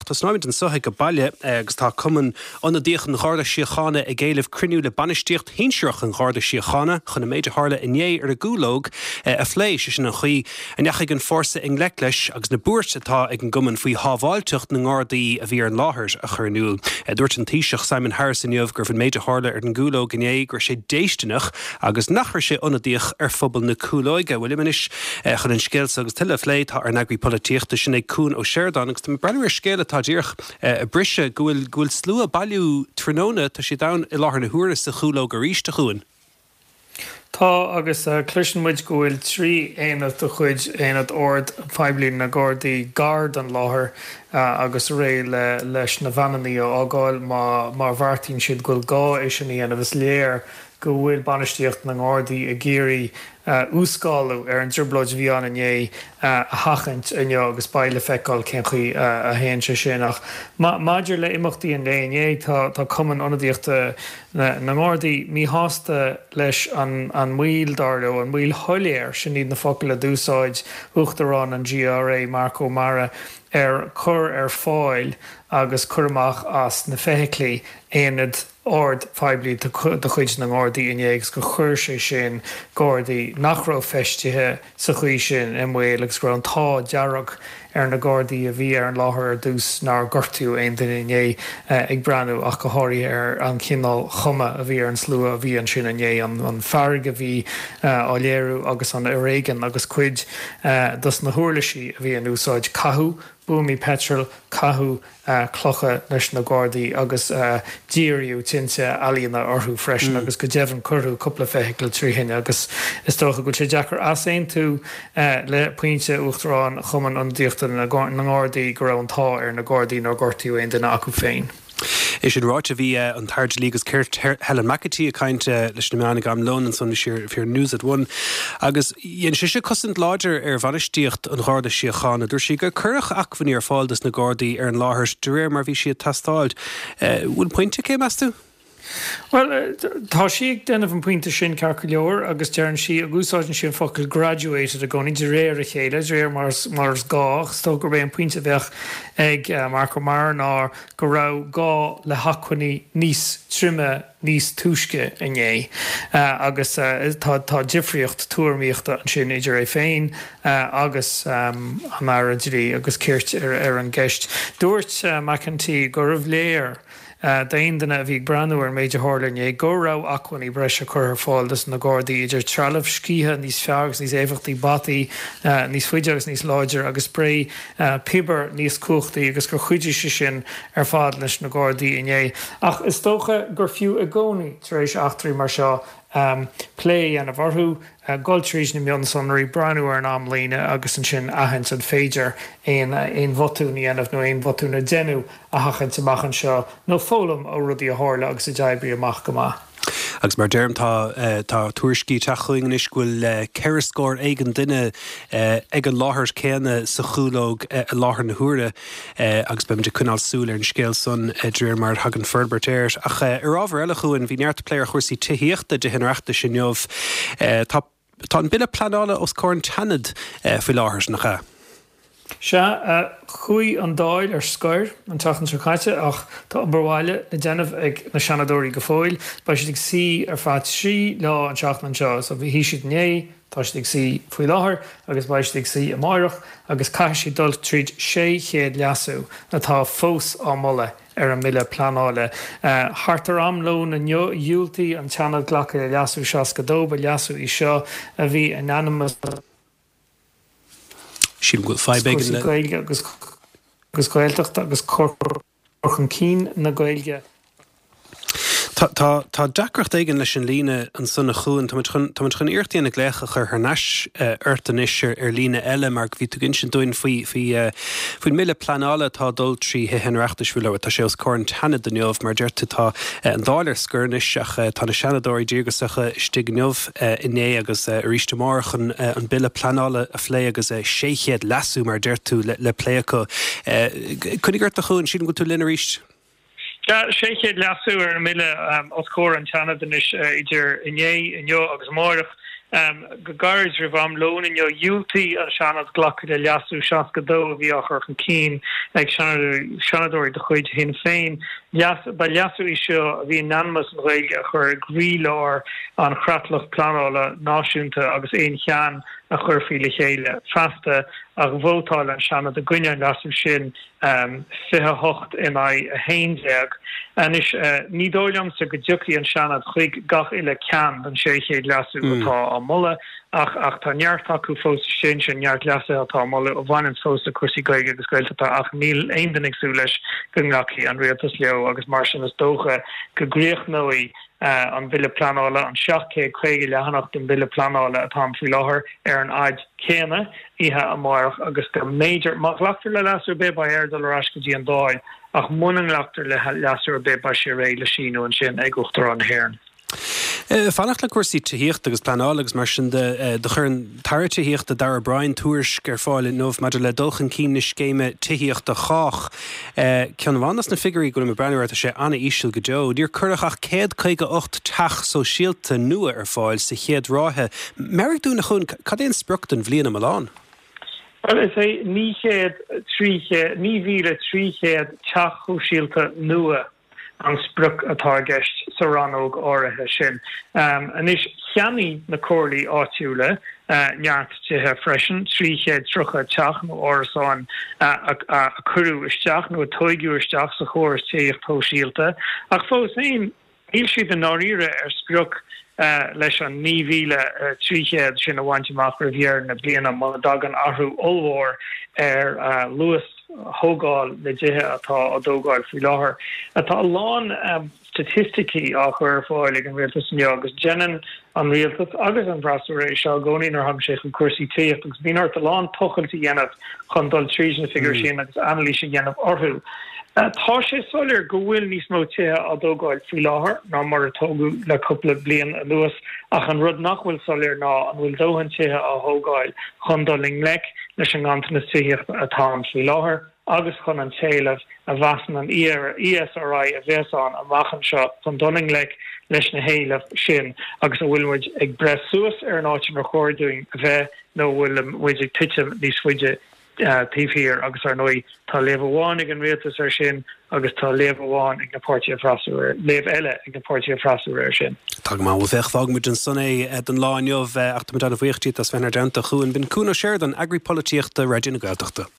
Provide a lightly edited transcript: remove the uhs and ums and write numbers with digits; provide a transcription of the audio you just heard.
Tosnóimid anseo ag baile agus tá Cumann Ionadaíoch an Gharda Síochána ag éileamh cruinniú le bainistíocht shinsearach an Gharda Síochána chun an méid a tharla inné ar an gCúlóg a phlé, sé sin an chaoi a ndeachaigh an fórsa i ngleic leis agus na buairt atá ag an gcumann faoi shábháilteacht na nGardaí a bhí ar an láthair a chur in iúl. Dúirt an Taoiseach Simon Harris inniu go raibh an méid a tharla ar an gCúlóg inné go raibh sé déistineach agus nach raibh sé ionadaíoch ar phobal na Cúlóige. Bhuel liom anois chun an scéal seo agus tuilleadh a phlé tá ár n-eagraí polaitíochta, sin é Cuan Ó Seireadáin agus tá mé ag breathnú ar scéal atá díreach ag briseadh go bhfuil go bhfuil slua ag bailiú tráthnóna, tá siad ann i láthair na huaire sa Chúlóg arís, a Chuain. Tá, agus cloiseann muid go bhfuil 3 aonad de chuid Aonad Oird Phoiblí na nGardaí gar don láthair agus réidh le leis na veaineanna a fhágáil má má bheartaíonn siad go bhfuil gá é sin a dhéanamh. Is léir go bhfuil bainistíocht na nGardaí ag iarraidh uas-scálú ar an dtrioblóid a bhí ann inné a sheachaint inniu agus beidh le feiceáil cén chaoi a théann sé sin. Ach maidir le imeachtaí an lae inné, tá Cumann Ionadaíochta na nGardaí míshásta leis an moill, dar leo, an mhoill shoiléir, sin iad na focail a d'úsáid Uachtarán an GRA, Marc Ó Meara, ar cur ar fáil agus cur amach as na feithiclí aonad oird phoiblí de chuid na nGardaí inné agus gur chuir sé sin Gardaí nach raibh feistithe sa chaoi sin i mbaol agus go raibh an t-ádh dearg ar na Gardaí a bhí ar an láthair ar dtús nár gortaíodh aon duine inné ag breathnú ach go háirithe ar an chineál chuma a bhí ar an slua a bhí ansin inné, an fearg a bhí á léiriú agus an fhoréigean agus cuid dos na huirlisí a bhí in úsáid, caitheadh buamaí peitril, caitheadh clocha leis na Gardaí agus díríodh tinte ealaíne orthu freisin agus go deimhin cuireadh cúpla feithicil trí thine agus is dócha go bhfuil sé deacair easaontú le pointe Uachtarán Chumann Ionadaíochta na nGardaí go raibh an t-ádh ar na Gardaí nár gortaíodh aon duine acu féin. É sin ráite, bhí an tAire Dlí agus Cirt Helen McEntee ag caint leis na meáin ag am lóin ansan, bhí sí ar News at One agus dhein sise cosaint láidir ar bhainistíocht an Gharda Síochána. Dúirt sí gur cuireadh acmhainní ar fáil dos na Gardaí ar an láthair de réir mar bhí siad ag teastáil. Bhfuil pointe aici, meas tú? Bhuel, tá sí ag déanamh an pointe sin ceart go leor agus deireann sí, agus úsáideann sí an focal graduated i gcónaí, de réir a chéile, de réir mar mar is gá. Ach is dócha gurb é an pointe a bheadh ag Marc Ó Meara ná go raibh gá le hacmhainní níos troime níos túisce inné agus tá tá difríocht tuairimíochta ansin idir é féin agus an Aire Dlí agus Cirt ar an gceist. Dúirt McEntee gurbh léir D'aon duine a bhí ag breathnú ar an méid a tharla inné go raibh acmhainní breise curtha ar fáil dos na Gardaí, idir trealamh sciatha níos fearr agus níos éifeachtaí, bataí níos faide agus níos láidre agus sprae piobair níos cumhachtaí agus gur chuidigh sé sin ar fad leis na Gardaí inné. Ach is dócha gur fiú i gcónaí tar éis eachtraí mar seo plé a dhéanamh orthu, dul tríd na mionsonraí, breathnú ar an amlíne agus ansin aithint an féidir aon aon bhotún a dhéanamh nó aon bhotún a deineadh a sheachaint amach anseo nó foghlaim ó rudaí a tharla agus a d'oibrigh amach go maith. Agus mar deirim, tá tá tuairiscí ag teacht chugainn anois go bhfuil ceithre scór éigin duine ag an láthair céanna sa Chúlóg i láthair na huaire agus beimid ag coinneáil súil ar an scéal san de réir mar a thagann forbairt air. Ach ar ábhar eile, a Chuain, bhí neart plé ar chúrsaí tithíochta i dTithe an Oireachtais inniu. Tá Tá an Bille Pleanála os comhair an tSeanaid faoi láthair, nach ea? Sea, chuaigh an Dáil ar scor an tseachtain seo caite ach tá obair bhaile le déanamh ag na Seanadóirí go fóill. Beidh siad ag suí ar feadh 3 lá an tseachtain seo. So shuigh siad inné, tá siad ag suí faoi láthair agus beidh siad ag suí amáireach agus caithfidh siad dul tríd 600 leasú atá fós á moladh ar an mBille Pleanála. Thart ar am lóin inniu, dhiúltaigh an tSeanad glacadh le Leasú 62. Ba leasú í seo a bhí in ainm is Sílim go bhfuil fadhb éigin cúrsaí le. Gaeilge agus Gaeltachta agus cur chun cinn na Gaeilge. Tá, tá, tá deacracht éigin leis an líne ansan a Chuain. Táimid chun, táimid chun iarracht a dhéanamh glaoch a chur thar n-ais ort anois ar, ar líne eile mar bhí tú ag insint dúinn faoi, faoi, faoin mBille Pleanála atá ag dul trí Thithe an Oireachtais faoi láthair. Tá sé os comhair an tSeanaid inniu. Mar a deir tú tá an Dáil ar scor anois ach tá na Seanadóirí díograsacha istigh inniu, inné agus arís amárach chun an Bille Pleanála a phlé agus 600 leasú mar a deir tú le, le plé acu. Coinnigh ort a Chuain, sílim go bhfuil tú linn arís. Sea, 600 leasú ar an mBille os comhair an tSeanaid anois idir inné, inniu agus amáireach. Go gairid roimh am lóin inniu, dhiúltaigh an Seanad glacadh le leasú 62 a bhí á chur chun cinn ag Seanadóirí de chuid Shinn Féin. Ba leasú í seo a bhí in ainm is an Ghaeilge a chur i gcroílár an chreatlach pleanála náisiúnta agus aon cheann a chuirfí le chéile feasta, ach vótáil an Seanad i gcoinne an leasú sin. 28 in aghaidh 11. Anois, ní dóigh liomsa go dtiocfaidh an Seanad chuig gach uile ceann den 600 leasú atá á moladh, ach ach tá neart acu fós istigh ansin, neart leasuithe atá á moladh a bhaineann fós le cúrsaí Gaeilge agus Gaeltachta ach níl aon duine ag súil leis go nglacfaidh an Rialtas leo agus mar sin is dócha go gcríochnóidh an Bille Pleanála, an 750 leathanach den Bhille Pleanála atá ann faoi láthair, ar an fhaid céanna oíche amárach agus go mb'fhéidir, má ghlactar le leasú ar bith, beidh air dul ar ais go dtí an Dáil ach muna nglactar le leasú ar bith beidh sé réidh le síniú ansin ag Uachtarán na hÉireann. Fanacht le cúrsaí tithíochta agus pleanála agus mar sin de, do chuir an tAire Tithíochta Darragh O'Brien tuairisc ar fáil inniu maidir le dul chun cinn na scéime Tithíocht do Chách. Ceann amháin dos na figiúirí go bhfuilim ag breathnú air, tá sé an-íseal go deo. Níor cuireadh ach 158 teach sóisialta nua ar fáil sa chéad ráithe. Meabhraigh dúinn, a Chuain, cad é an sprioc don bhliain iomlán? Bhuel, is é 900, 300, 9,300 teach shóisialta nua an sprioc atá i gceist sa rannóg áirithe sin. Anois, cheannaigh na comhairlí áitiúla neart tithe freisin, 330 teach nó árasáin a cuireadh isteach nó a tóigeadh isteach sa chóras tithíocht shóisialta, ach fós féin, Níl siad i ndáiríre ar sprioc leis an 9,300 sin a bhaint amach roimh dheireadh na bliana muna dtagann athrú ollmhór ar luas thógáil na dtithe atá á dtógáil faoi láthair. Tá a lán staitisticí á chur ar fáil ag an rialtas inniu agus déanann an rialtas agus an freasúra é seo i gcónaí nuair a thagann sé chun cúrsaí tithíochta agus bíonn ort a lán tochailt a dhéanamh chun dul tríd na figiúirí sin agus anailís a dhéanamh orthu. Tá sé soiléir go bhfuil níos mó tithe á dtógáil faoi láthair ná mar a tógadh le cúpla bliain anuas ach an rud nach bhfuil soiléir ná an bhfuil dóthain tithe á thógáil chun dul i ngleic leis an nganntanas tithíochta atá ann faoi láthair agus chun an t-éileamh a mheasann an ESRI a bheas ann amach anseo chun dul i ngleic leis na héilimh sin agus an bhfuil muid ag breith suas ar an áit inar chóir dúinn a bheith nó an bhfuil muid ag titim níos faide taobh thiar agus ar ndóigh tá léamh amháin ag an rialtas air sin agus tá léamh amháin ag na páirtithe freasúra, léamh eile ag na páirtithe freasúra air sin. Tá go maith, bhuel féach, fágfaidh muid ansan é don lá inniu ach tá muid an-bhuíoch díot as bheith inár dteannta, a Chuain. B'in Cuan Ó Seireadáin, Eagraí Polaitíochta Raidió na Gaeltachta.